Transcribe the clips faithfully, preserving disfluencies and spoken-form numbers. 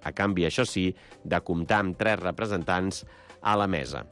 a canvi, això sí, de comptar amb tres representants a la mesa.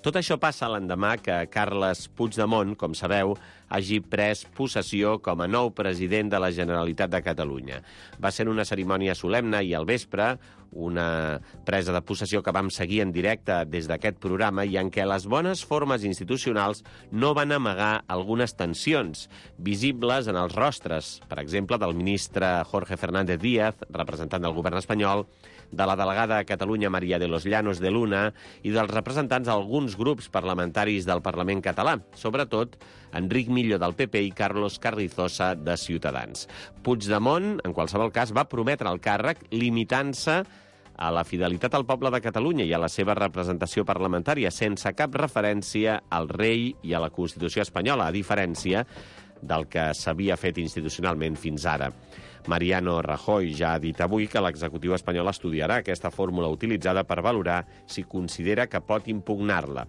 Tot això passa l'endemà que Carles Puigdemont, com sabeu, hagi pres possessió com a nou president de la Generalitat de Catalunya. Va ser una cerimònia solemne i al vespre, una presa de possessió que vam seguir en directe des d'aquest programa i en què les bones formes institucionals no van amagar algunes tensions visibles en els rostres, per exemple, del ministre Jorge Fernández Díaz, representant del govern espanyol, de la delegada a Catalunya María de los Llanos de Luna i dels representants d'alguns grups parlamentaris del Parlament català, sobretot Enric Millo del P P i Carlos Carrizosa de Ciutadans. Puigdemont, en qualsevol cas, va prometre el càrrec limitant-se a la fidelitat al poble de Catalunya i a la seva representació parlamentària, sense cap referència al rei i a la Constitució espanyola, a diferència del que s'havia fet institucionalment fins ara. Mariano Rajoy ja ha dit avui que l'executiu espanyol estudiarà aquesta fórmula utilitzada per valorar si considera que pot impugnar-la.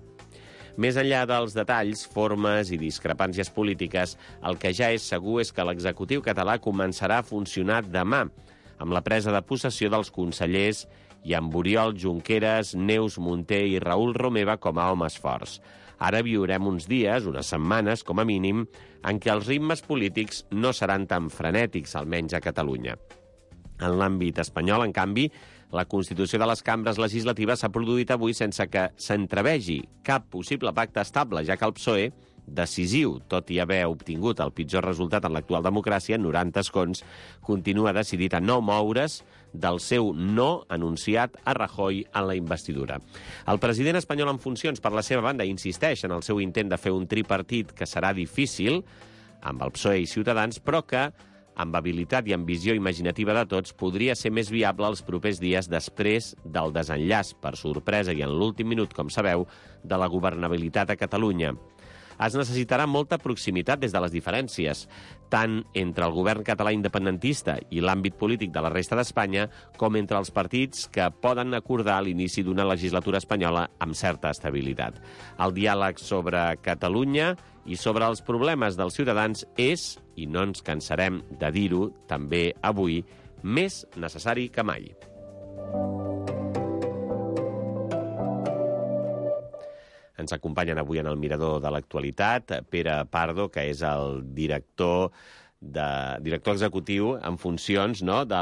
Més enllà dels detalls, formes i discrepàncies polítiques, el que ja és segur és que l'executiu català començarà a funcionar demà, amb la presa de possessió dels consellers i amb Oriol Junqueras, Neus Munté i Raül Romeva com a homes forts. Ara viurem uns dies, unes setmanes, com a mínim, en què els ritmes polítics no seran tan frenètics, almenys a Catalunya. En l'àmbit espanyol, en canvi, la constitució de les cambres legislatives s'ha produït avui sense que s'entrevegi cap possible pacte estable, ja que el P S O E, decisiu, tot i haver obtingut el pitjor resultat en l'actual democràcia, noranta escons, continua decidit a no moure's del seu no anunciat a Rajoy en la investidura. El president espanyol en funcions, per la seva banda, insisteix en el seu intent de fer un tripartit que serà difícil, amb el P S O E i Ciutadans, però que, amb habilitat i amb visió imaginativa de tots, podria ser més viable els propers dies després del desenllaç, per sorpresa i en l'últim minut, com sabeu, de la governabilitat a Catalunya. Es necessitarà molta proximitat des de les diferències, tant entre el govern català independentista i l'àmbit polític de la resta d'Espanya, com entre els partits que poden acordar l'inici d'una legislatura espanyola amb certa estabilitat. El diàleg sobre Catalunya i sobre els problemes dels ciutadans és, i no ens cansarem de dir-ho també avui, més necessari que mai. Ens acompanyen avui en el Mirador de l'Actualitat Pere Pardo, que és el director, de, director executiu en funcions, no?, de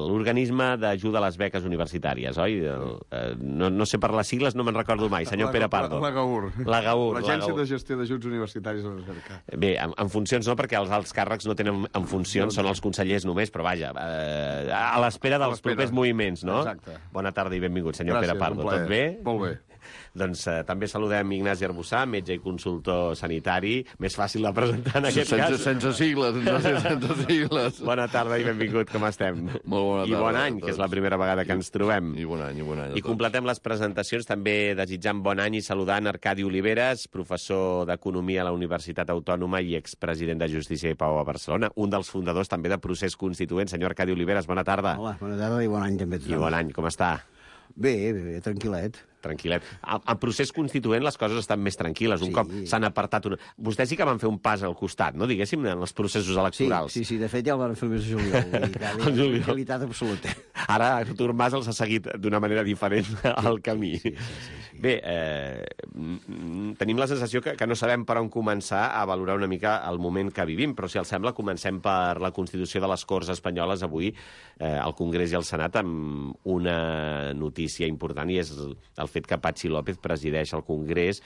l'organisme d'ajuda a les beques universitàries, oi? El, eh, no, no sé per les sigles, no me'n recordo mai. Senyor Pere Pardo. L'Agaur. L'Agaur. L'Agència de Gestió d'Ajuts Universitaris a l'Universitat. Bé, en, en funcions no, perquè els alts càrrecs no tenen en funcions, són els consellers només, però vaja, eh, a l'espera dels propers moviments, no? Exacte. Bona tarda i benvingut, senyor Gràcies, Pere Pardo. Tot bé? Molt bé. Doncs eh, també saludem Ignasi Arbussà, metge i consultor sanitari. Més fàcil de presentar en aquest sense, cas. Sense sigles, no sé, sense sigles. Bona tarda i benvingut, com estem? Molt bona tarda. I bon any, que és la primera vegada que ens trobem. I bon any, i bon any. I completem les presentacions també desitjant bon any i saludant Arcadi Oliveres, professor d'Economia a la Universitat Autònoma i expresident de Justícia i Pau a Barcelona, un dels fundadors també de Procés Constituent. Senyor Arcadi Oliveres, bona tarda. Hola, bona tarda i bon any també. I bon any, com està? Bé, bé, bé, tranquil·let. Tranquil·let. En procés constituent les coses estan més tranquil·les. Un sí. cop s'han apartat... Una... Vostès sí que van fer un pas al costat, no?, diguéssim, en els processos electorals. Sí, sí, sí, de fet ja el van fer el mes de juliol. I tranquil·litat absoluta. Ara Artur Mas els ha seguit d'una manera diferent al camí. Sí, sí, sí, sí. Bé, eh, tenim la sensació que, que no sabem per on començar a valorar una mica el moment que vivim, però si els sembla comencem per la Constitució de les Corts Espanyoles avui, eh, al Congrés i al Senat, amb una notícia important, i és el fet que Patxi López presideix el Congrés,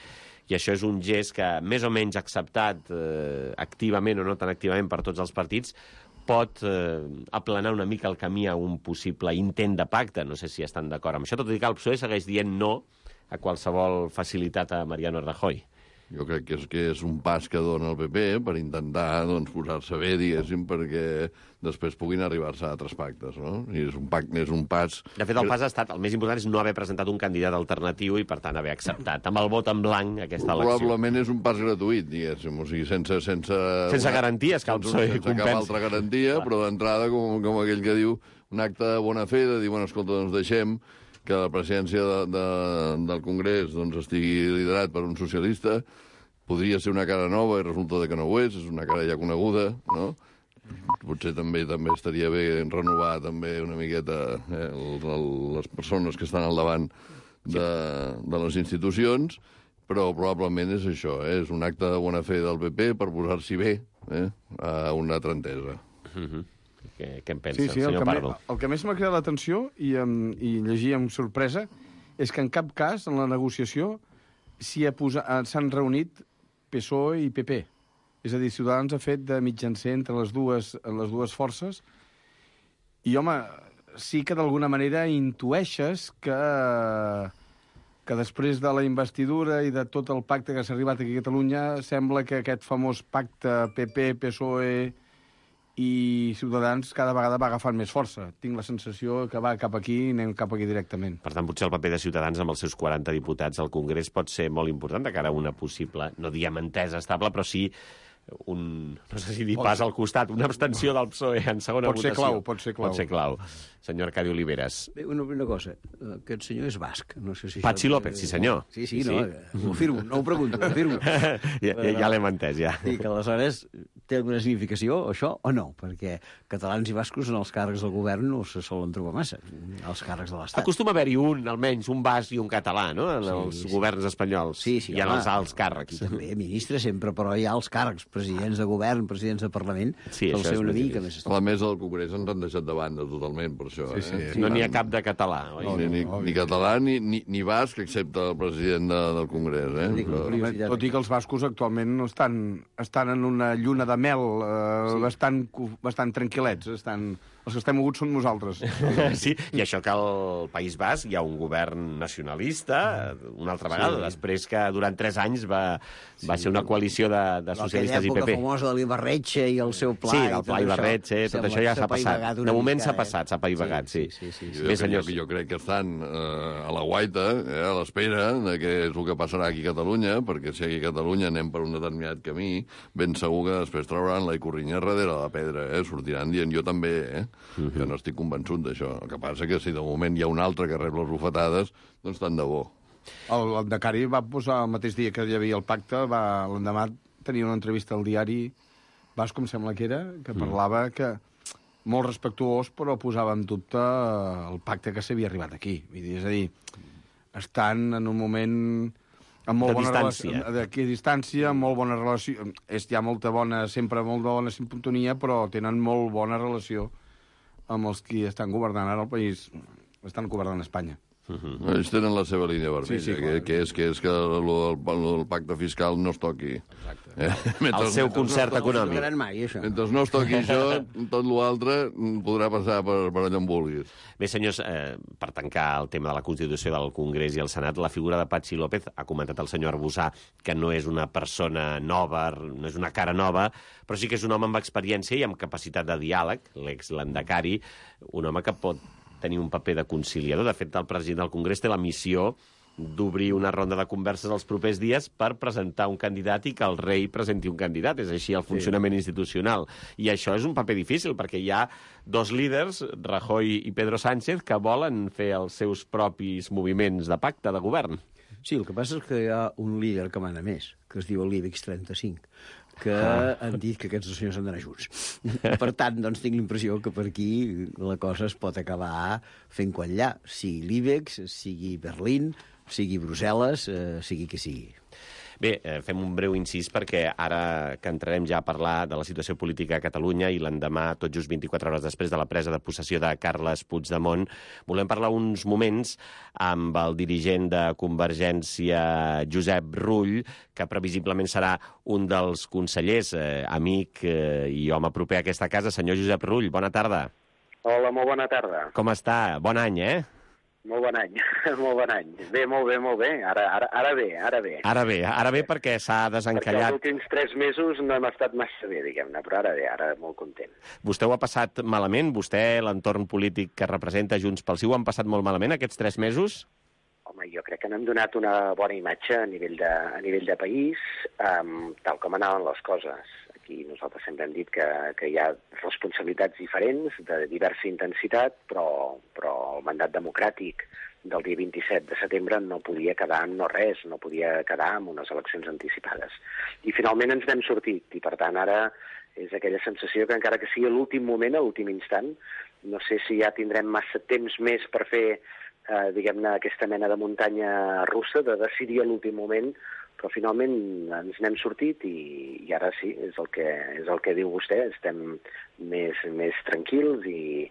i això és un gest que, més o menys acceptat eh, activament o no tan activament per tots els partits, pot eh, aplanar una mica el camí a un possible intent de pacte. No sé si estan d'acord amb això, tot i que el P S O E segueix dient no a qualsevol facilitat a Mariano Rajoy. Jo crec que és, que és un pas que dona el P P per intentar doncs, posar-se bé, diguéssim, perquè després puguin arribar-se a altres pactes, no? I és un pacte, és un pas... De fet, el pas ha estat, el més important és no haver presentat un candidat alternatiu i, per tant, haver acceptat amb el vot en blanc aquesta elecció. Probablement és un pas gratuït, diguéssim, o sigui, sense... Sense, sense una, garanties que el P S O E sense compensa. Cap altra garantia, clar. Però d'entrada, com, com aquell que diu, un acte de bona fe, de dir, bueno, escolta, doncs deixem que la presidència de, de, del Congrés doncs, estigui liderat per un socialista. Podria ser una cara nova i resulta que no ho és, és una cara ja coneguda, no? Potser també també estaria bé renovar també una miqueta eh, el, el, les persones que estan al davant de, de les institucions, però probablement és això, eh? És un acte de bona fe del P P per posar-s'hi bé eh? a una altra entesa. Mm-hmm. Què, què en pensa, sí, sí, el senyor el Pardo? Me, el que més m'ha cridat l'atenció i, um, i llegir amb sorpresa és que en cap cas, en la negociació, s'hi ha posa, s'han reunit P S O E i P P. És a dir, Ciutadans ha fet de mitjancer entre les dues, les dues forces i, home, sí que d'alguna manera intueixes que, que després de la investidura i de tot el pacte que s'ha arribat aquí a Catalunya, sembla que aquest famós pacte P P, P S O E i Ciutadans cada vegada va agafant més força. Tinc la sensació que va cap aquí i anem cap aquí directament. Per tant, potser el paper de Ciutadans amb els seus quaranta diputats al Congrés pot ser molt important de cara a una possible, no diguem entesa estable, però sí un, no sé si dir pas al costat, una abstenció del P S O E en segona pot votació. Ser clau, pot ser clau. Pot ser clau. Senyor Arcadi Oliveres. Bé, una, una cosa, aquest senyor és basc. No sé si Patxi això... López, sí senyor. Sí, sí, sí. no, ho afirmo, no ho pregunto, ho afirmo. ja ja, ja l'hem entès, ja. I que aleshores té alguna significació, això, o no? Perquè catalans i bascos en els càrrecs del govern no se solen trobar massa, els càrrecs de l'Estat. Acostuma a haver-hi un, almenys, un basc i un català, no?, en Sí, els sí. governs espanyols. Sí, sí, I en home, els alts càrrecs. Aquí també, ministre sempre, però hi ha els càrrecs, presidents de govern, presidents de Parlament, Sí, sol això ser és una més mica difícil. més... A la mesa del Congrés ens han deixat de banda totalment per això. Sí, sí. Eh? No n'hi ha cap de català, oi? Ni, ni, ni català ni, ni, ni basc, excepte el president de, del Congrés. Eh? Dic, Però... curiositat. Tot i que els bascos actualment estan, estan en una lluna de mel eh, sí. bastant, bastant tranquil·lets. Estan, els que estem moguts són nosaltres. Sí, i això que al País Basc hi ha un govern nacionalista, una altra vegada, Sí. després que durant tres anys va, va ser una coalició de, de socialistes i P P. Aquella època famosa de l'Ibarretxe i el seu pla... Sí, i del tot pla això, Ibarretxe, tot sembla això ja que s'ha passat. apaivagat De una moment mica, s'ha eh? passat, s'ha apaivagat, sí. Sí, sí, sí, sí. Jo, Bé, jo, senyors. jo crec que estan eh, a la guaita, eh, a l'espera de què és el que passarà aquí a Catalunya, perquè si aquí a Catalunya anem per un determinat camí, ben segur que després trauran la Icorrinya darrere de la pedra, eh? Sortiran dient jo també, eh? Uh -huh. Jo no estic convençut d'això. El que passa que si de moment hi ha un altre que rep les bufetades, doncs tant de bo. El, el Decari va posar el mateix dia que hi havia el pacte, va l'endemà tenia una entrevista al diari Basc, com sembla que era, que parlava que molt respectuós, però posava en dubte el pacte que s'havia arribat aquí. Vull dir, és a dir, estan en un moment amb molt De bona distància. relació, d'aquí a distància, amb molt bona relació. És, hi ha molta bona, sempre molt bona sintonia, però tenen molt bona relació amb els qui estan governant ara el país, estan governant Espanya. Uh -huh. Ells tenen la seva línia vermella, Sí, sí, que, clar. que, és, que és que el, el, el pacte fiscal no es toqui. Exacte. Eh? El seu concert No econòmic. es mai, això. Mentre no es toqui això, tot l'altre podrà passar per, per allà on vulguis. Bé, senyors, eh, per tancar el tema de la Constitució del Congrés i el Senat, la figura de Patxi López, ha comentat el senyor Arbusà que no és una persona nova, no és una cara nova, però sí que és un home amb experiència i amb capacitat de diàleg, l'ex-Landacari, un home que pot tenir un paper de conciliador. De fet, el president del Congrés té la missió d'obrir una ronda de converses els propers dies per presentar un candidat i que el rei presenti un candidat. És així el funcionament sí. institucional. I això és un paper difícil, perquè hi ha dos líders, Rajoy i Pedro Sánchez, que volen fer els seus propis moviments de pacte de govern. Sí, el que passa és que hi ha un líder que mana més, que es diu l'Ibex trenta-cinc, que ah. han dit que aquests dos senyors han d'anar junts. Per tant, doncs, tinc la impressió que per aquí la cosa es pot acabar fent quallar, sigui l'Ibex, sigui Berlín, sigui Brussel·les, eh, sigui que sigui. Bé, eh, fem un breu incís perquè ara que entrarem ja a parlar de la situació política a Catalunya i l'endemà, tot just vint-i-quatre hores després de la presa de possessió de Carles Puigdemont, volem parlar uns moments amb el dirigent de Convergència, Josep Rull, que previsiblement serà un dels consellers, eh, amic eh, i home proper a aquesta casa. Senyor Josep Rull, bona tarda. Hola, molt bona tarda. Com està? Bon any, eh? Molt bon any, molt bon any. Bé, molt bé, molt bé. Ara, ara, ara bé, ara bé. Ara bé, ara bé perquè s'ha Perquè desencallat. els últims tres mesos no hem estat massa bé, diguem-ne, però ara bé, ara molt content. Vostè ho ha passat malament? Vostè, l'entorn polític que representa Junts pel Sí, ho han passat molt malament aquests tres mesos? Home, jo crec que n'hem donat una bona imatge a nivell de, a nivell de país, um, tal com anaven les coses. Aquí nosaltres sempre hem dit que, que hi ha responsabilitats diferents, de diversa intensitat, però, però el mandat democràtic del dia vint-i-set de setembre no podia quedar en no res, no podia quedar en unes eleccions anticipades. I finalment ens n'hem sortit, i per tant ara És aquella sensació que encara que sigui a l'últim moment, a l'últim instant, no sé si ja tindrem massa temps més per fer, eh, diguem-ne, aquesta mena de muntanya russa, de decidir a l'últim moment, però finalment ens n'hem sortit i, i ara sí, és el que, és el que diu vostè, estem més, més tranquils i,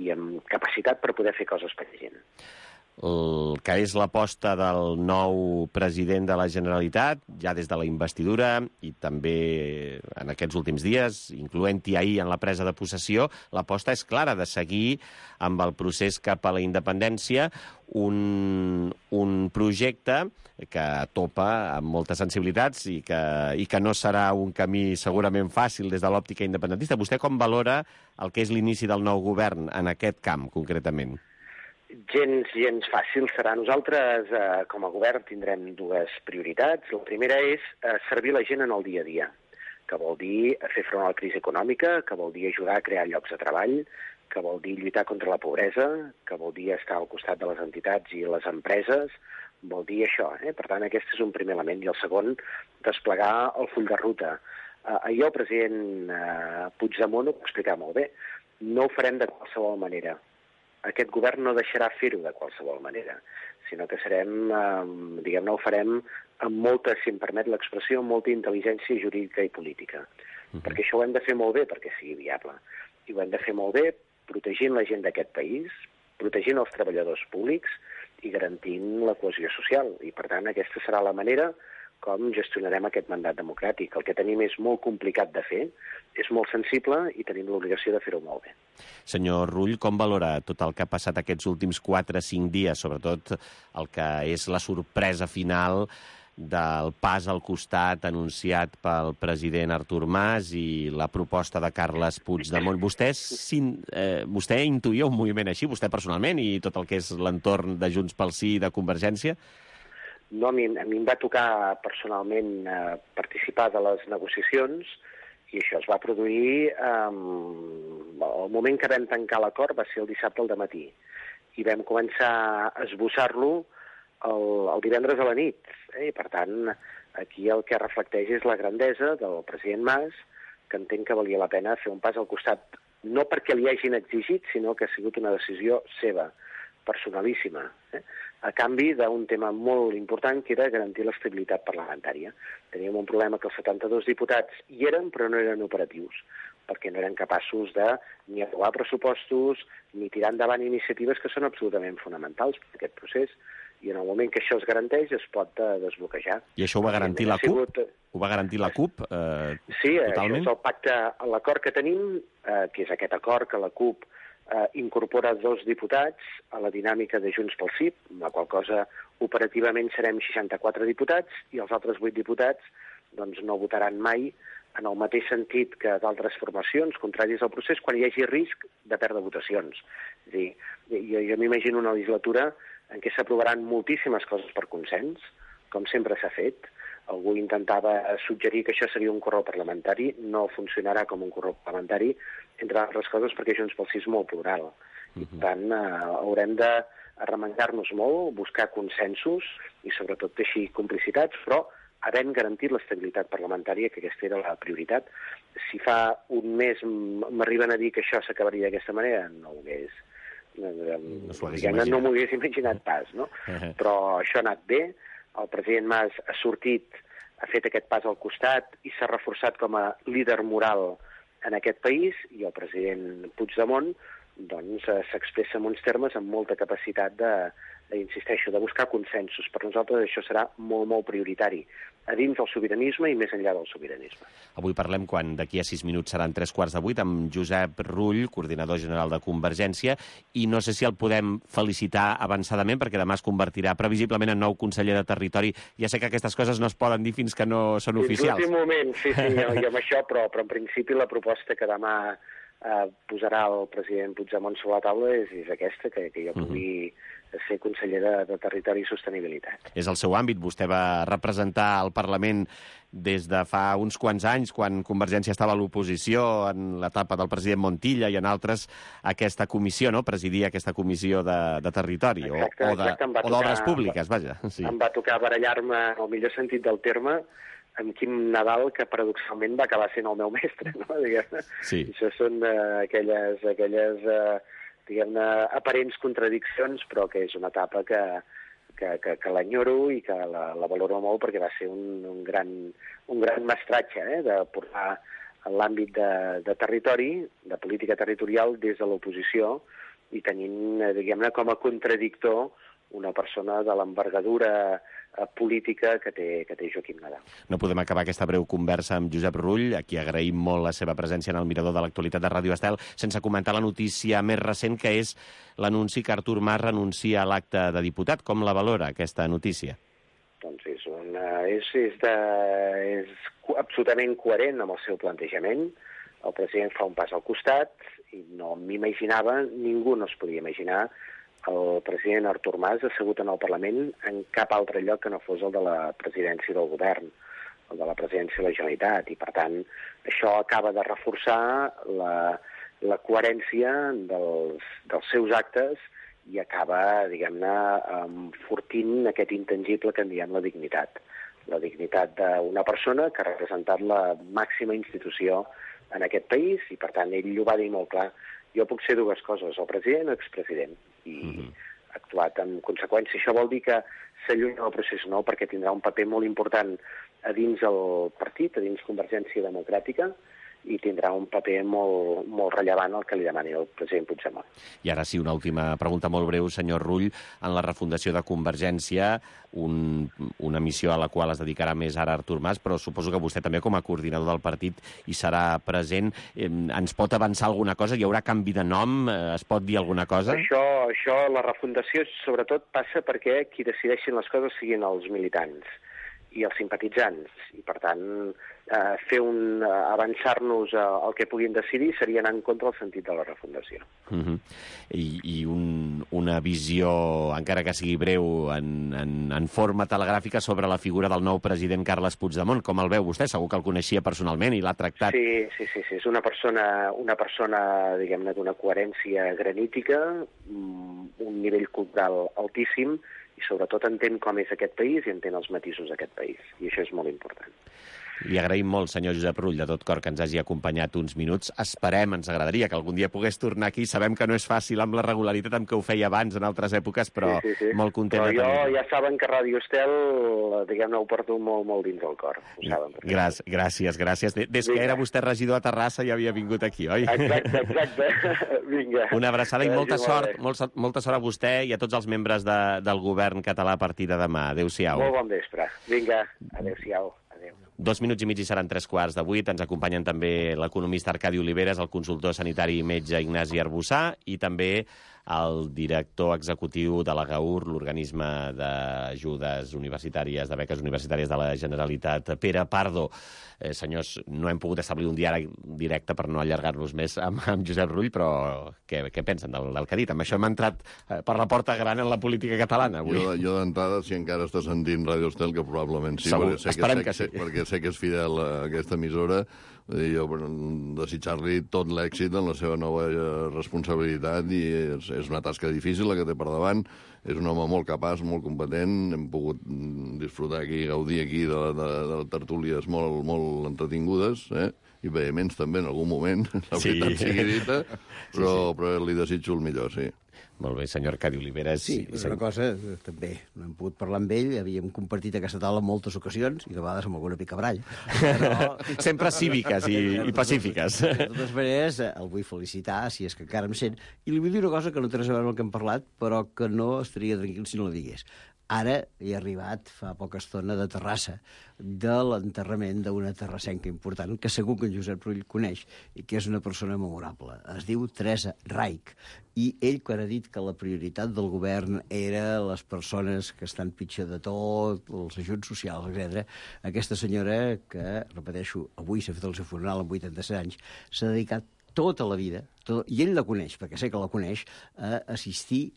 i amb capacitat per poder fer coses per la gent. El que és l'aposta del nou president de la Generalitat, ja des de la investidura i també en aquests últims dies, incloent-hi ahir en la presa de possessió, l'aposta és clara de seguir amb el procés cap a la independència, un, un projecte que topa amb moltes sensibilitats i que, i que no serà un camí segurament fàcil des de l'òptica independentista. Vostè com valora el que és l'inici del nou govern en aquest camp, concretament? Gens, gens fàcil serà. Nosaltres, eh, com a govern, tindrem dues prioritats. La primera és eh, servir la gent en el dia a dia, que vol dir fer front a la crisi econòmica, que vol dir ajudar a crear llocs de treball, que vol dir lluitar contra la pobresa, que vol dir estar al costat de les entitats i les empreses, vol dir això. Eh? Per tant, aquest és un primer element. I el segon, desplegar el full de ruta. Eh, ahir el president eh, Puigdemont ho va explicar molt bé. No ho farem de qualsevol manera. Aquest govern no deixarà fer-ho de qualsevol manera, sinó que serem, eh, diguem-ne, ho farem amb molta, si em permet l'expressió, amb molta intel·ligència jurídica i política. Uh-huh. Perquè això ho hem de fer molt bé perquè sigui viable. I ho hem de fer molt bé protegint la gent d'aquest país, protegint els treballadors públics i garantint la cohesió social. I, per tant, aquesta serà la manera com gestionarem aquest mandat democràtic. El que tenim és molt complicat de fer, és molt sensible i tenim l'obligació de fer-ho molt bé. Senyor Rull, com valora tot el que ha passat aquests últims quatre o cinc dies, sobretot el que és la sorpresa final del pas al costat anunciat pel president Artur Mas i la proposta de Carles Puigdemont? Vostè, eh, vostè intuïa un moviment així, vostè personalment, i tot el que és l'entorn de Junts pel Sí i de Convergència? No, a mi, a mi em va tocar personalment eh, participar de les negociacions i això es va produir eh, el moment que vam tancar l'acord va ser el dissabte al dematí i vam començar a esbossar-lo el, el divendres a la nit. Eh? I per tant, aquí el que reflecteix és la grandesa del president Mas, que entenc que valia la pena fer un pas al costat, no perquè li hagin exigit, sinó que ha sigut una decisió seva, personalíssima, eh? a canvi d'un tema molt important, que era garantir l'estabilitat parlamentària. Teníem un problema que els setanta-dos diputats hi eren, però no eren operatius, perquè no eren capaços de ni aprovar pressupostos, ni tirar endavant iniciatives que són absolutament fonamentals per aquest procés, i en el moment que això es garanteix es pot uh, desbloquejar. I això ho va garantir la CUP? Sigut... Ho va garantir la CUP eh, sí, totalment? Sí, això és el pacte, l'acord que tenim, eh, que és aquest acord que la CUP Eh, incorpora dos diputats a la dinàmica de Junts pel Sí, la qual cosa operativament serem seixanta-quatre diputats i els altres vuit diputats doncs, no votaran mai en el mateix sentit que d'altres formacions contraris al procés quan hi hagi risc de perdre votacions. És a dir, jo, jo m'imagino una legislatura en què s'aprovaran moltíssimes coses per consens, com sempre s'ha fet. Algú intentava suggerir que això seria un correu parlamentari, no funcionarà com un correu parlamentari, entre altres coses perquè Junts pel Sí és molt plural. Uh-huh. I per tant, eh, haurem de arremangar-nos molt, buscar consensos i sobretot teixir complicitats, però havent garantit l'estabilitat parlamentària, que aquesta era la prioritat. Si fa un mes m'arriben a dir que això s'acabaria d'aquesta manera, no ho hagués... No, no, no m'ho hagués imaginat pas, no? Uh-huh. Però això ha anat bé. El president Mas ha sortit, ha fet aquest pas al costat i s'ha reforçat com a líder moral en aquest país i el president Puigdemont doncs, s'expressa en uns termes amb molta capacitat de, de, insisteixo, de buscar consensos. Per nosaltres això serà molt, molt prioritari, a dins del sobiranisme i més enllà del sobiranisme. Avui parlem, quan d'aquí a sis minuts seran tres quarts de vuit, amb Josep Rull, coordinador general de Convergència, i no sé si el podem felicitar avançadament, perquè demà es convertirà previsiblement en nou conseller de Territori. Ja sé que aquestes coses no es poden dir fins que no són fins oficials. Fins l'últim moment, sí, sí, i amb això, però, però en principi la proposta que demà eh, posarà el president Puigdemont sobre la taula és, és aquesta, que, que jo pugui uh-huh. ser conseller de, de Territori i Sostenibilitat. És el seu àmbit. Vostè va representar el Parlament des de fa uns quants anys, quan Convergència estava a l'oposició, en l'etapa del president Montilla i en altres, aquesta comissió, no? Presidir aquesta comissió de, de Territori, exacte, o, o d'obres públiques, vaja. Sí. Em va tocar barallar-me, en el millor sentit del terme, en Quim Nadal, que paradoxalment va acabar sent el meu mestre, no? Diguem-ne. Sí. Això són uh, aquelles, aquelles uh, diguem-ne, aparents contradiccions, però que és una etapa que, que, que, que l'enyoro i que la, la valoro molt perquè va ser un, un, gran, un gran mestratge, eh? De portar en l'àmbit de, de territori, de política territorial, des de l'oposició, i tenint, diguem-ne, com a contradictor una persona de l'envergadura política que té, que té Joaquim Nadal. No podem acabar aquesta breu conversa amb Josep Rull, a qui agraïm molt la seva presència en el mirador de l'actualitat de Ràdio Estel, sense comentar la notícia més recent, que és l'anunci que Artur Mas renuncia a l'acte de diputat. Com la valora, aquesta notícia? Doncs és, una, és, és, de, és absolutament coherent amb el seu plantejament. El president fa un pas al costat i no m'imaginava, ningú no es podia imaginar el president Artur Mas assegut en el Parlament en cap altre lloc que no fos el de la presidència del govern, el de la presidència de la Generalitat, i per tant això acaba de reforçar la, la coherència dels, dels seus actes i acaba, diguem-ne, enfortint aquest intangible que en diem la dignitat. La dignitat d'una persona que ha representat la màxima institució en aquest país i per tant ell ho va dir molt clar. Jo puc ser dues coses, el president o expresident, i mm-hmm. ha actuat en conseqüència. Això vol dir que s'allunya del procés nou perquè tindrà un paper molt important a dins el partit, a dins Convergència Democràtica, i tindrà un paper molt, molt rellevant el que li demani el president Puigdemont. I ara sí, una última pregunta molt breu, senyor Rull. En la refundació de Convergència, un, una missió a la qual es dedicarà més ara Artur Mas, però suposo que vostè també com a coordinador del partit hi serà present. Eh, ens pot avançar alguna cosa? Hi haurà canvi de nom? Eh, es pot dir alguna cosa? Això, això, la refundació sobretot passa perquè qui decideixin les coses siguin els militants i els simpatitzants, i per tant eh, fer un eh, avançar-nos al que puguin decidir seria anar en contra del sentit de la refundació. Uh-huh. I, i un, una visió, encara que sigui breu, en, en, en forma telegràfica sobre la figura del nou president Carles Puigdemont. Com el veu vostè? Segur que el coneixia personalment i l'ha tractat. Sí, sí, sí, sí. És una persona, una persona, diguem-ne, d'una coherència granítica, un nivell cultural altíssim, i sobretot entén com és aquest país i entén els matisos d'aquest país. I això és molt important. Li agraïm molt, senyor Josep Rull, de tot cor, que ens hagi acompanyat uns minuts. Esperem, ens agradaria que algun dia pogués tornar aquí. Sabem que no és fàcil amb la regularitat amb què ho feia abans en altres èpoques, però sí, sí, sí. molt content però de tenir-ho. Jo ja saben que Ràdio Estel, diguem-ne, ho porto molt, molt dins del cor. Ho saben. Gràcies, gràcies, gràcies. Des que era vostè regidor a Terrassa ja havia vingut aquí, oi? Exacte, exacte. Vinga. Una abraçada i molta sort, molta, molta sort a vostè i a tots els membres de, del govern català a partir de demà. Adéu-siau. Molt bon vespre. Vinga, adéu-siau. Dos minuts i mig i seran tres quarts de vuit. Ens acompanyen també l'economista Arcadi Oliveres, el consultor sanitari i metge Ignasi Arbussà i també el director executiu de la GAUR, l'organisme d'ajudes universitàries, de beques universitàries de la Generalitat, Pere Pardo. Eh, senyors, no hem pogut establir un diàleg directe per no allargar-nos més amb, amb Josep Rull, però què, què pensen del, del que ha dit? Amb això hem entrat eh, per la porta gran en la política catalana avui. Jo, jo d'entrada, si encara està sentint Ràdio Estel, que probablement sí, Segur, perquè sé esperem que, que sé, sí. perquè sé que és fidel a aquesta emissora, jo desitjar-li tot l'èxit en la seva nova responsabilitat, i és, és una tasca difícil la que té per davant. És un home molt capaç, molt competent, hem pogut disfrutar aquí, gaudir aquí de, de, de tertúlies molt, molt entretingudes, eh? I vehements també en algun moment, la Sí. veritat sigui dita, però, Sí, sí. però li desitjo el millor, sí. Molt bé, senyor Arcadi Oliveres. Sí, és una cosa, també, no hem pogut parlar amb ell, havíem compartit aquesta taula en moltes ocasions, i de vegades amb alguna picabrall. Però... Sempre cíviques i, i pacífiques. De totes maneres, el vull felicitar, si és que encara em sent, i li vull dir una cosa que no té res a veure amb el que hem parlat, però que no estaria tranquil si no la digués. Ara he arribat fa poca estona de Terrassa, de l'enterrament d'una terrassenca important, que segur que en Josep Rull coneix, i que és una persona memorable. Es diu Teresa Raich, i ell, quan ha dit que la prioritat del govern era les persones que estan pitjor de tot, els ajuts socials, etcètera, aquesta senyora, que, repeteixo, avui s'ha fet el seu funeral amb vuitanta-set anys, s'ha dedicat tota la vida, tot, i ell la coneix, perquè sé que la coneix, a assistir,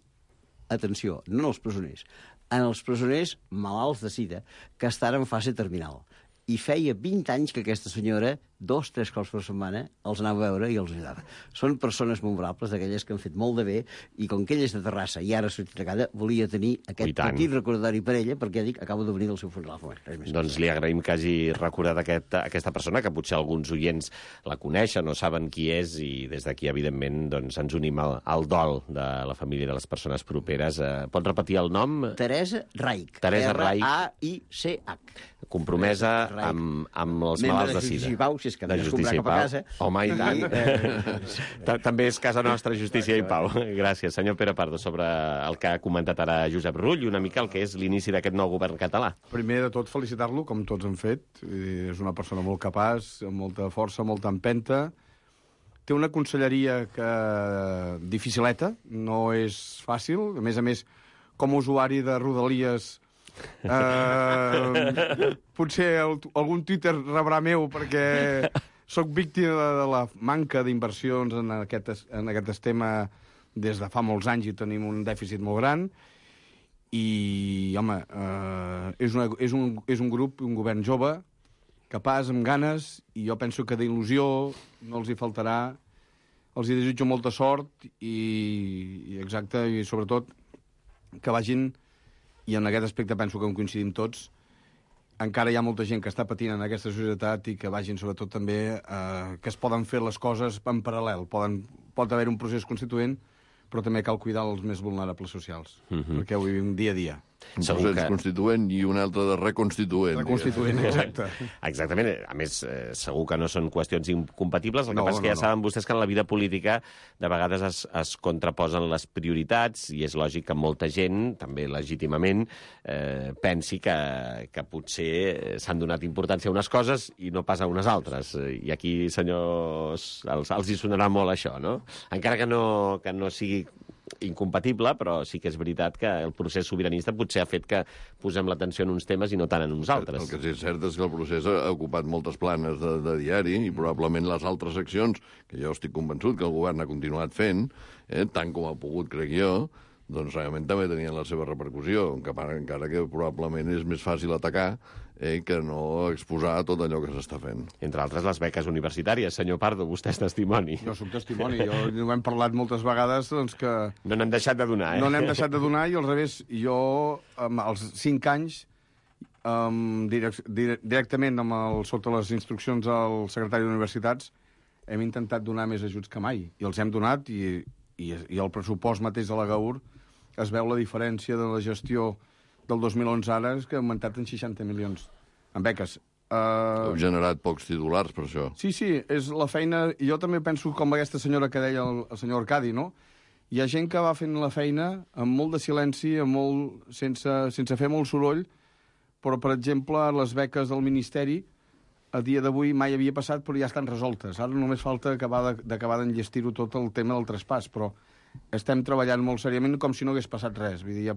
atenció, no als presoners, en els presoners malalts de sida que estan en fase terminal. I feia vint anys que aquesta senyora dos, tres cops per setmana, els anava a veure i els ajudava. Són persones memorables, d'aquelles que han fet molt de bé, i com que ell és de Terrassa i ara ha sortit de casa, volia tenir aquest petit recordatori per ella, perquè dic, acabo de venir del seu funeral. Bueno, doncs li agraïm que hagi recordat aquest, aquesta persona, que potser alguns oients la coneixen o saben qui és, i des d'aquí, evidentment, doncs, ens unim al, al dol de la família i de les persones properes. Eh, pot repetir el nom? Teresa Raich. Teresa Raich. R A I C H. Compromesa amb, amb els malalts de sida. Membre de Justícia i Pau, si és que de has comprar cap a casa. Home, i tant. També és casa nostra, Justícia i Pau. Gràcies, senyor Pere Pardo, sobre el que ha comentat ara Josep Rull i una mica el que és l'inici d'aquest nou govern català. Primer de tot, felicitar-lo, com tots han fet. És una persona molt capaç, amb molta força, molta empenta. Té una conselleria que dificileta, no és fàcil. A més a més, com a usuari de Rodalies, eh, potser el, algun Twitter rebrà meu, perquè sóc víctima de, de la manca d'inversions en aquest, en aquest tema des de fa molts anys i tenim un dèficit molt gran. I, home, eh, és, una, és, un, és un grup, un govern jove, capaç, amb ganes, i jo penso que d'il·lusió no els hi faltarà. Els hi desitjo molta sort i, i exacte, i sobretot que vagin, i en aquest aspecte penso que en coincidim tots, encara hi ha molta gent que està patint en aquesta societat i que vagin sobretot també eh, que es poden fer les coses en paral·lel. Poden, pot haver un procés constituent, però també cal cuidar els més vulnerables socials, uh-huh. perquè ho vivim dia a dia. Un procés que... constituent i un altre de reconstituent. Reconstituent, exacte. Exactament. A més, eh, segur que no són qüestions incompatibles. El que no, passa és que no, ja no. saben vostès que en la vida política de vegades es, es contraposen les prioritats i és lògic que molta gent, també legítimament, eh, pensi que, que potser s'han donat importància a unes coses i no pas a unes altres. I aquí, senyors, els, els hi sonarà molt això, no? Encara que no, que no sigui incompatible, però sí que és veritat que el procés sobiranista potser ha fet que posem l'atenció en uns temes i no tant en uns altres. El que sí és cert és que el procés ha ocupat moltes planes de, de diari i probablement les altres accions, que jo estic convençut que el govern ha continuat fent, eh, tant com ha pogut, crec jo, doncs realment també tenien la seva repercussió, encara que probablement és més fàcil atacar eh, que no exposar tot allò que s'està fent. Entre altres, les beques universitàries. Senyor Pardo, vostè és testimoni. Jo soc testimoni. Jo ho hem parlat moltes vegades, doncs que... No n'hem deixat de donar, eh? No n'hem deixat de donar i al revés, jo, amb els cinc anys, um, direct, direct, directament amb el, sota les instruccions del secretari d'Universitats, hem intentat donar més ajuts que mai. I els hem donat i, i, i el pressupost mateix de la GAUR es veu la diferència de la gestió del dos mil onze ara, és que ha augmentat en seixanta milions en beques. Uh... Heu generat pocs titulars per això. Sí, sí, és la feina... Jo també penso com aquesta senyora que deia el, el senyor Arcadi, no? Hi ha gent que va fent la feina amb molt de silenci, amb molt, sense, sense fer molt soroll, però, per exemple, les beques del Ministeri a dia d'avui mai havia passat, però ja estan resoltes. Ara només falta acabar d'acabar d'enllestir-ho tot el tema del traspàs, però estem treballant molt seriament com si no hagués passat res. Vull dir, hi ha,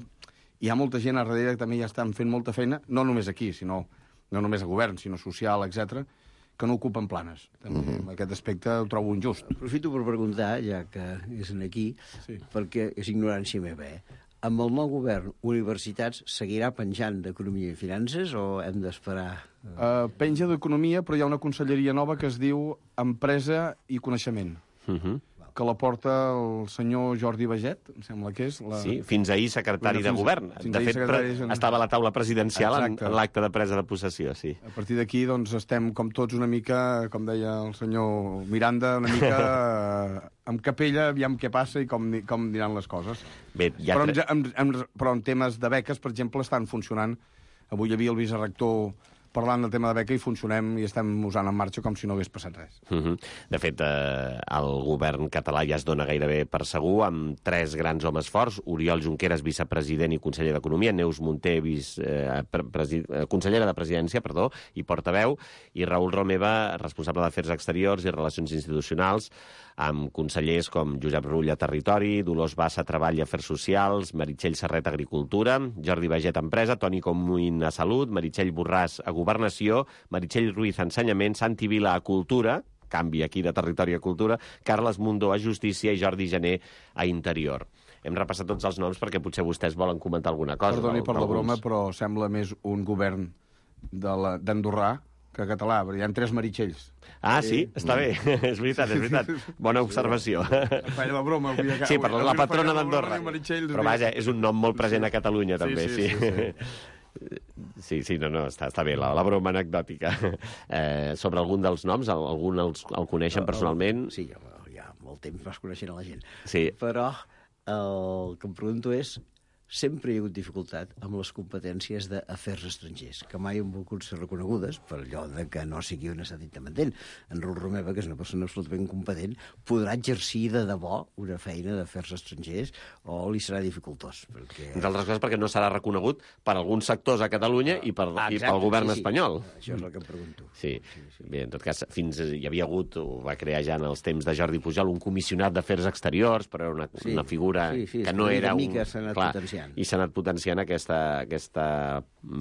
hi ha molta gent a darrere que també ja estan fent molta feina, no només aquí, sinó no només a govern, sinó social, etcètera, que no ocupen planes. També, uh-huh. En aquest aspecte ho trobo injust. Aprofito per preguntar, ja que és aquí, sí. perquè és ignorància meva, eh? Amb el nou govern, universitats seguirà penjant d'Economia i Finances o hem d'esperar? Uh, penja d'Economia, però hi ha una conselleria nova que es diu Empresa i Coneixement. Uh-huh. Que la porta el senyor Jordi Baget, em sembla que és. La... Sí, fins ahir secretari fins, de govern. De fet, secretari... Pre... estava a la taula presidencial en, en l'acte de presa de possessió, sí. A partir d'aquí, doncs, estem com tots una mica, com deia el senyor Miranda, una mica eh, amb capella, aviam què passa i com, com diran les coses. Bé, ja però, en, en, en, però en temes de beques, per exemple, estan funcionant. Avui hi havia el vicerector parlant del tema de beca i funcionem i estem usant en marxa com si no hagués passat res. Uh-huh. De fet, eh, el govern català ja es dona gairebé per segur, amb tres grans homes forts: Oriol Junqueras, vicepresident i conseller d'Economia; Neus Munté, vice, eh, presi, eh, consellera de Presidència, perdó, i portaveu; i Raül Romeva, responsable d'Afers Exteriors i Relacions Institucionals, amb consellers com Josep Rull a Territori, Dolors Bassa a Treball i Afers Socials, Meritxell Serret a Agricultura, Jordi Baget a Empresa, Toni Comín a Salut, Meritxell Borràs a Governació, Meritxell Ruiz a Ensenyament, Santi Vila a Cultura, canvi aquí de Territori a Cultura, Carles Mundó a Justícia i Jordi Jané a Interior. Hem repassat tots els noms perquè potser vostès volen comentar alguna cosa. Perdoni per la broma, però sembla més un govern d'Andorrà que català, perquè hi ha tres Meritxells. Ah, sí? Està bé. És veritat, és veritat. Bona observació. Feia la broma. Avui, Sí, per la patrona d'Andorra. Meritxell, Però vaja, és un nom molt present a Catalunya, també, sí. Sí, sí, sí. Sí, sí, no, no, està, està bé, la, la broma anecdòtica. Eh, sobre algun dels noms, algun els, el coneixen personalment? Sí, ja molt temps vas coneixent a la gent. Sí. Però el que em pregunto és, sempre hi ha hagut dificultat amb les competències d'afers estrangers, que mai han volgut ser reconegudes per allò de que no sigui un estat independent. En Raül Romeva, que és una persona absolutament competent, podrà exercir de debò una feina d'afers estrangers o li serà dificultós. Perquè... Entre altres coses perquè no serà reconegut per alguns sectors a Catalunya i, per, ah, i pel govern sí, sí. espanyol. Això és el que em pregunto. Sí. sí, sí. Bé, en tot cas, fins hi havia hagut, ho va crear ja en els temps de Jordi Pujol, un comissionat d'afers exteriors, però era una, sí, una figura sí, sí, que no era un... mica s'ha anat Clar, potenciant. I s'ha anat potenciant aquesta, aquesta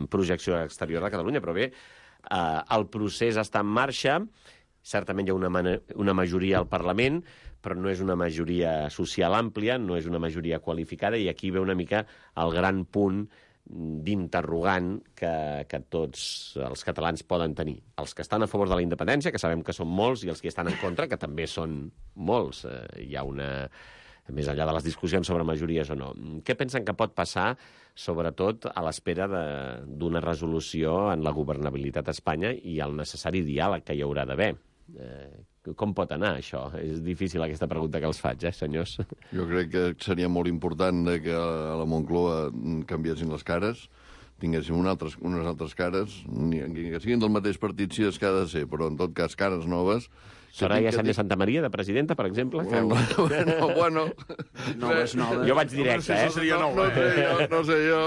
projecció exterior de Catalunya, però bé, eh, el procés està en marxa, certament hi ha una, una majoria al Parlament, però no és una majoria social àmplia, no és una majoria qualificada, i aquí ve una mica el gran punt d'interrogant que, que tots els catalans poden tenir. Els que estan a favor de la independència, que sabem que són molts, i els que estan en contra, que també són molts. Eh, hi ha una... més enllà de les discussions sobre majories o no. Què pensen que pot passar, sobretot a l'espera d'una resolució en la governabilitat a Espanya i el necessari diàleg que hi haurà d'haver? Eh, com pot anar, això? És difícil aquesta pregunta que els faig, eh, senyors? Jo crec que seria molt important que a la Moncloa canviessin les cares, tinguéssim un altres, unes altres cares, ni, que siguin del mateix partit si és que ha de ser, però en tot cas cares noves. Soraya Sánchez Santa Maria, de presidenta, per exemple? Bueno, bueno, bueno. Noves, noves. Jo vaig directe, eh? seria nou, no, no, sé jo, no sé jo.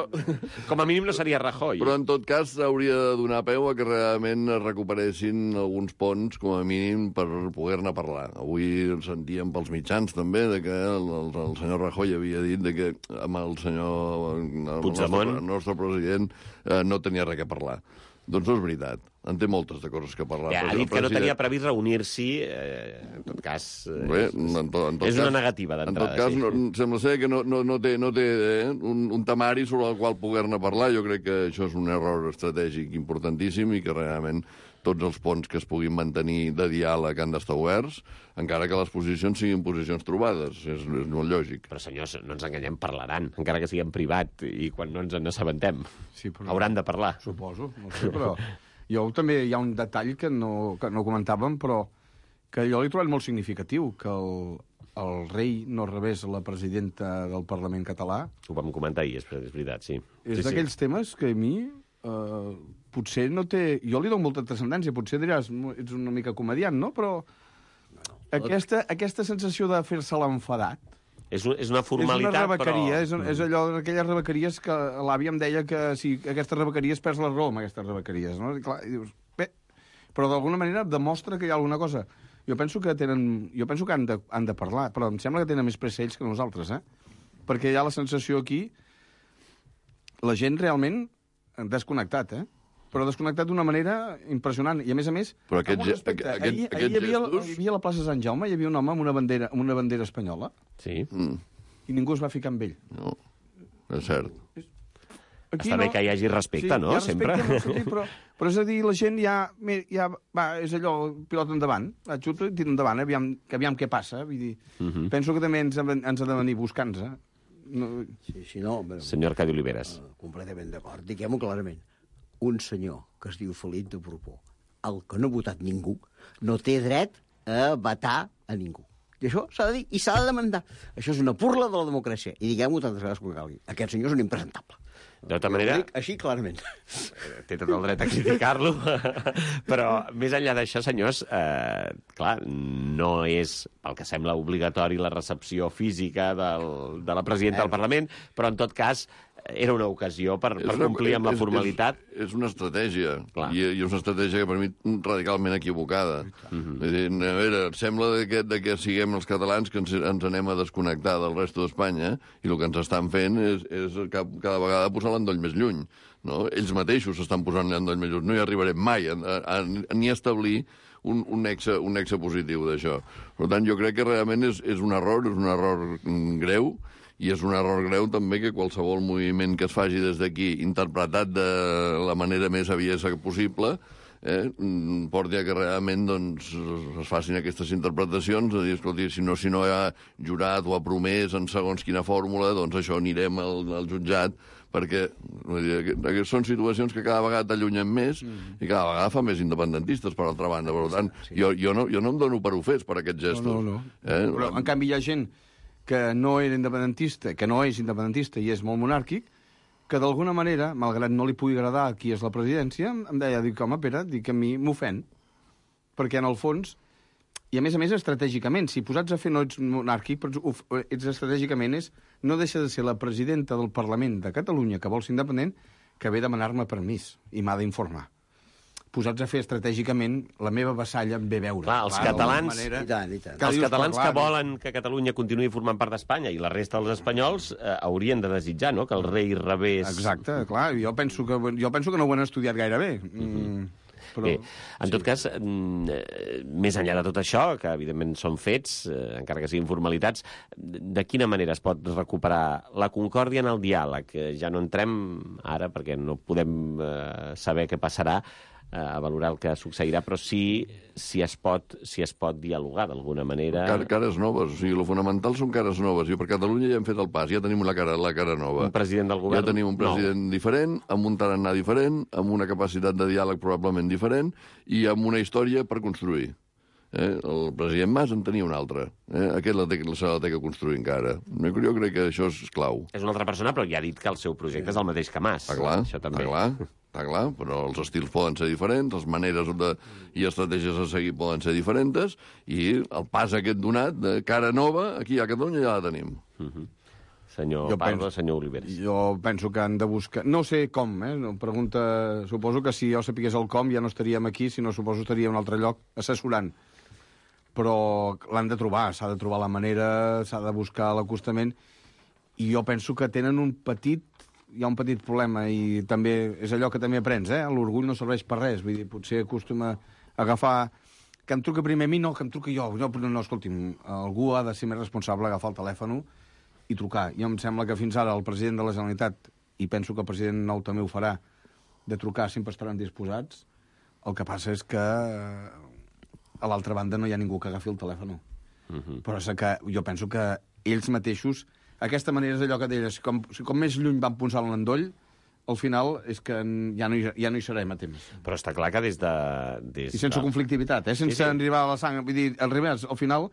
Com a mínim no seria Rajoy. Però en tot cas hauria de donar peu a que realment es recuperessin alguns ponts, com a mínim, per poder-ne parlar. Avui sentíem pels mitjans també de que el, el, el senyor Rajoy havia dit de que amb el senyor el Puigdemont, nostre, el nostre president, eh, no tenia res a parlar. Doncs no és veritat. En té moltes de coses que parlar. Ja, ha dit que no tenia previst reunir-s'hi, eh, en tot cas... Eh, Bé, en tot, en tot és cas, una negativa d'entrada. En tot cas, sí. no, sembla ser que no, no, no té, no té eh, un, un temari sobre el qual poder-ne parlar. Jo crec que això és un error estratègic importantíssim i que realment tots els ponts que es puguin mantenir de diàleg han d'estar oberts, encara que les posicions siguin posicions trobades. És, és molt lògic. Però, senyors, no ens enganyem, parlaran, encara que sigui en privat, i quan no ens n'assabentem. Sí, però... Hauran de parlar. Suposo, no sé, però... Jo també hi ha un detall que no, que no comentàvem, però que jo l'he trobat molt significatiu, que el, el rei no rebés la presidenta del Parlament català. Ho vam comentar ahir, és, és veritat, sí. És sí, d'aquells sí. temes que a mi eh, potser no té... Jo li dono molta transcendència, potser diràs, ets una mica comediant, no? Però aquesta, aquesta sensació de fer-se l'enfadat, És, un, és una formalitat, és una rebequeria, però... és, un, és allò d'aquelles rebequeries que l'àvia em deia que si aquestes rebequeries perds la raó amb aquestes rebequeries, no? I clar, i dius, bé, però d'alguna manera demostra que hi ha alguna cosa. Jo penso que tenen, jo penso que han de, han de parlar, però em sembla que tenen més pressa ells que nosaltres, eh? Perquè hi ha la sensació aquí, la gent realment desconnectat, eh? Però desconnectat d'una manera impressionant. I, a més a més, però aquest, respecte, aquest, ahir, aquest ahir hi, havia, gestos... hi havia a la plaça Sant Jaume, hi havia un home amb una bandera, amb una bandera espanyola, Sí. Mm, i ningú es va ficar amb ell. no, és cert. Aquí Està bé que hi hagi respecte, sí, no? Hi ha respecte, Sempre. no, sí, però, però és a dir, la gent ja, ja va, és allò, pilot endavant, va, xuta i tira endavant, eh, aviam, que aviam què passa. Vull dir, Uh -huh. penso que també ens, ens ha de venir buscant-nos. Eh? No, Sí, sí, no, però, Senyor Arcadi Oliveres. uh, completament d'acord. Diguem-ho clarament. Un senyor que es diu Felip de Borbó, el que no ha votat ningú, no té dret a vetar a ningú. I això s'ha de dir i s'ha de demandar. Això és una burla de la democràcia. I diguem-ho tantes vegades com calgui. Aquest senyor és un impresentable. De tota Jo manera... ho dic així clarament. Té tot el dret a criticar-lo, però més enllà d'això, senyors, eh, clar, no és, pel que sembla, obligatori la recepció física del, de la presidenta del Parlament, però en tot cas era una ocasió per, per complir amb la formalitat. És, és una estratègia, Clar. i, i és una estratègia que per mi radicalment equivocada. Uh-huh. dir, a veure, sembla de que, de que siguem els catalans que ens, ens anem a desconnectar del resto d'Espanya, i el que ens estan fent és, és cada vegada posar l'endoll més lluny. No? Ells mateixos s'estan posant l'endoll més lluny. No hi arribarem mai a, a, a, ni a establir un, un, nexe, un nexe positiu d'això. Per tant, jo crec que realment és, és un error, és un error greu, i és un error greu també que qualsevol moviment que es faci des d'aquí, interpretat de la manera més aviesa possible, eh, porti a que realment doncs, es facin aquestes interpretacions, de dir, escolti, si no, si no ha jurat o ha promès en segons quina fórmula, doncs això anirem al, al jutjat, perquè vull dir, són situacions que cada vegada t'allunyen més mm. i cada vegada fa més independentistes, per altra banda. Per tant, sí. jo, jo, no, jo no em dono per ofès per aquests gestos. No, no, no. Eh? Però, en canvi, hi ha gent que no era independentista, que no és independentista i és molt monàrquic, que d'alguna manera, malgrat no li pugui agradar qui és la presidència, em deia, dic, home, Pere, dic que a mi m'ofèn. Perquè, en el fons, i a més a més estratègicament, si posats a fer no ets monàrquic, però uf, ets estratègicament, és, no deixa de ser la presidenta del Parlament de Catalunya, que vol ser independent, que ve a demanar-me permís i m'ha d'informar. Posats a fer estratègicament, la meva vassalla em ve a veure. Clar, els clar, catalans, manera, i tant, i tant. els catalans que volen que Catalunya continuï formant part d'Espanya i la resta dels espanyols eh, haurien de desitjar, no?, que el rei rebés... Exacte, clar, jo penso que, jo penso que no ho han estudiat gaire bé. Mm. Però, bé, en tot sí. cas, més enllà de tot això, que evidentment són fets, eh, encara que siguin formalitats, de quina manera es pot recuperar la concòrdia en el diàleg? Ja no entrem ara, perquè no podem eh, saber què passarà, eh, a valorar el que succeirà, però sí si es pot, si es pot dialogar d'alguna manera. Car cares noves, o sigui, el fonamental són cares noves. I per Catalunya ja hem fet el pas, ja tenim la cara, la cara nova. Un president del govern Ja tenim un president nou. diferent, amb un tarannà diferent, amb una capacitat de diàleg probablement diferent i amb una història per construir. Eh? El president Mas en tenia un altre. Eh? Aquest la té, se la té que construir encara. Jo crec que això és clau. És una altra persona, però ja ha dit que el seu projecte és el mateix que Mas. Està clar, això també. està clar, està clar, però els estils poden ser diferents, les maneres de, i estratègies a seguir poden ser diferents, i el pas aquest donat de cara nova, aquí a Catalunya ja la tenim. Uh -huh. Senyor jo Pardo, penso, senyor Oliveres. Jo penso que han de buscar... No sé com, eh? Pregunta... Suposo que si jo sapigués el com ja no estaríem aquí, sinó suposo que estaria en un altre lloc assessorant. Però l'han de trobar, s'ha de trobar la manera, s'ha de buscar l'acostament, i jo penso que tenen un petit... Hi ha un petit problema, i també és allò que també aprens, eh? L'orgull no serveix per res, vull dir, potser acostuma a agafar... Que em truca primer a mi, no, que em truca jo. No, no, no, escolti'm, algú ha de ser més responsable, agafar el telèfon i trucar. I em sembla que fins ara el president de la Generalitat, i penso que el president nou també ho farà, de trucar sempre estaran disposats. El que passa és que a l'altra banda no hi ha ningú que agafi el telèfon. Uh-huh. Però és que jo penso que ells mateixos... Aquesta manera és allò que deies, com, com més lluny van posar l'endoll, al final és que ja no, hi, ja no hi serem a temps. Però està clar que des de... Des I sense de... conflictivitat, eh? Sense sí, sí. arribar a la sang. Vull dir, al revés, al final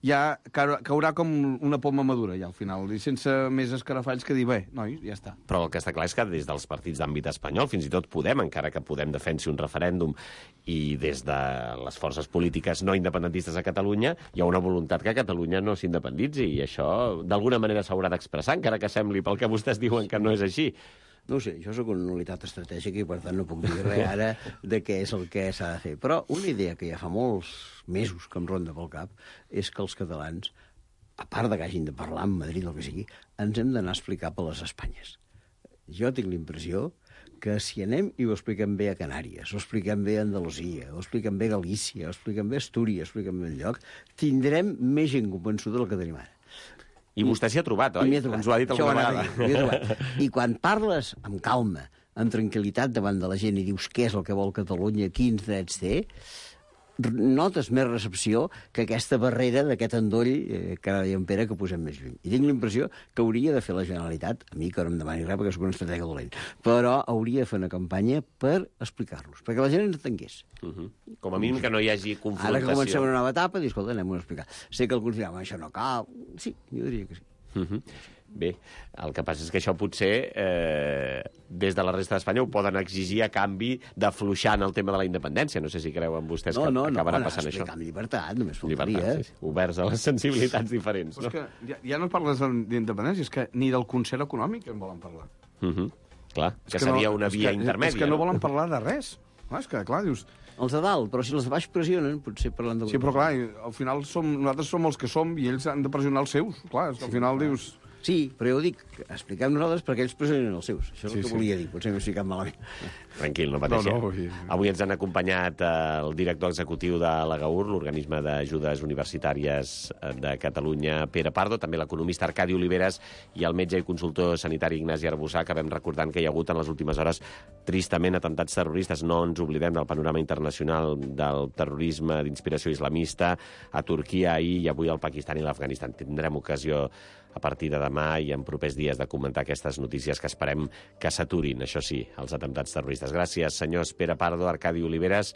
ja caurà com una poma madura, ja, al final, i sense més escarafalls que dir, bé, nois, ja està. Però el que està clar és que des dels partits d'àmbit espanyol, fins i tot Podem, encara que Podem defensi un referèndum, i des de les forces polítiques no independentistes a Catalunya, hi ha una voluntat que Catalunya no s'independitzi, i això d'alguna manera s'haurà d'expressar, encara que sembli pel que vostès diuen que no és així. No ho sé, jo sóc una unitat estratègica i, per tant, no puc dir res ara de què és el que s'ha de fer. Però una idea que ja fa molts mesos que em ronda pel cap és que els catalans, a part de que hagin de parlar amb Madrid o el que sigui, ens hem d'anar a explicar per les Espanyes. Jo tinc la impressió que si anem i ho expliquem bé a Canàries, ho expliquem bé a Andalusia, ho expliquem bé a Galícia, ho expliquem bé a Astúries, ho expliquem bé enlloc, tindrem més gent convençuda del que tenim ara. I vostè s'hi ha trobat, oi? Trobat. Ens ho ha dit alguna vegada. M'hi he trobat. I quan parles amb calma, amb tranquil·litat davant de la gent i dius què és el que vol Catalunya, quins drets té, notes més recepció que aquesta barrera d'aquest endoll eh, que ara deia en Pere que posem més lluny. I tinc la impressió que hauria de fer la Generalitat, a mi que no em demani res perquè soc un estratega dolent, però hauria de fer una campanya per explicar-los, perquè la gent ens entengués. Uh -huh. Com a mínim que no hi hagi confrontació. Ara que comencem una nova etapa, dius, escolta, anem a explicar. Sé que alguns diran, això no cal. Sí, jo diria que sí. Uh -huh. Bé, el que passa és que això potser eh, des de la resta d'Espanya ho poden exigir a canvi d'afluixar en el tema de la independència. No sé si creuen vostès no, que no, acabarà no, passant no, això. Amb llibertat, només faltaria. Llibertat, sí, sí. Oberts a les sensibilitats diferents. Però no? és que ja, ja no parles d'independència, és que ni del concert econòmic en volen parlar. Uh -huh. Clar, és que, que seria no, una via que, intermèdia. És que no volen parlar de res. Clar, és que, clar, dius... Els de dalt, però si els de baix pressionen, potser parlant de... Sí, però clar, al final som, nosaltres som els que som i ells han de pressionar els seus. Clar, és que al final dius... Sí, però ja ho dic, expliquem nosaltres perquè ells presenten els seus. Això és Sí, el que sí. volia dir, potser m'he explicat malament. Tranquil, no pateixeu. No, no, sí. Avui ens han acompanyat eh, el director executiu de l'Agaur, l'Organisme d'Ajudes Universitàries de Catalunya, Pere Pardo, també l'economista Arcadi Oliveres i el metge i consultor sanitari Ignasi Arbussà, que vam recordant que hi ha hagut en les últimes hores tristament atemptats terroristes. No ens oblidem del panorama internacional del terrorisme d'inspiració islamista a Turquia ahir i avui al Pakistan i l'Afganistan. Tindrem ocasió a partir de demà i en propers dies de comentar aquestes notícies que esperem que s'aturin, això sí, els atemptats terroristes. Gràcies, senyors Pere Pardo, Arcadi Oliveres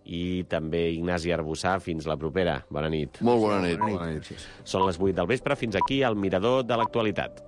i també Ignasi Arbussà. Fins la propera. Bona nit. Molt bona nit. Bona nit. Són les vuit del vespre. Fins aquí el Mirador de l'Actualitat.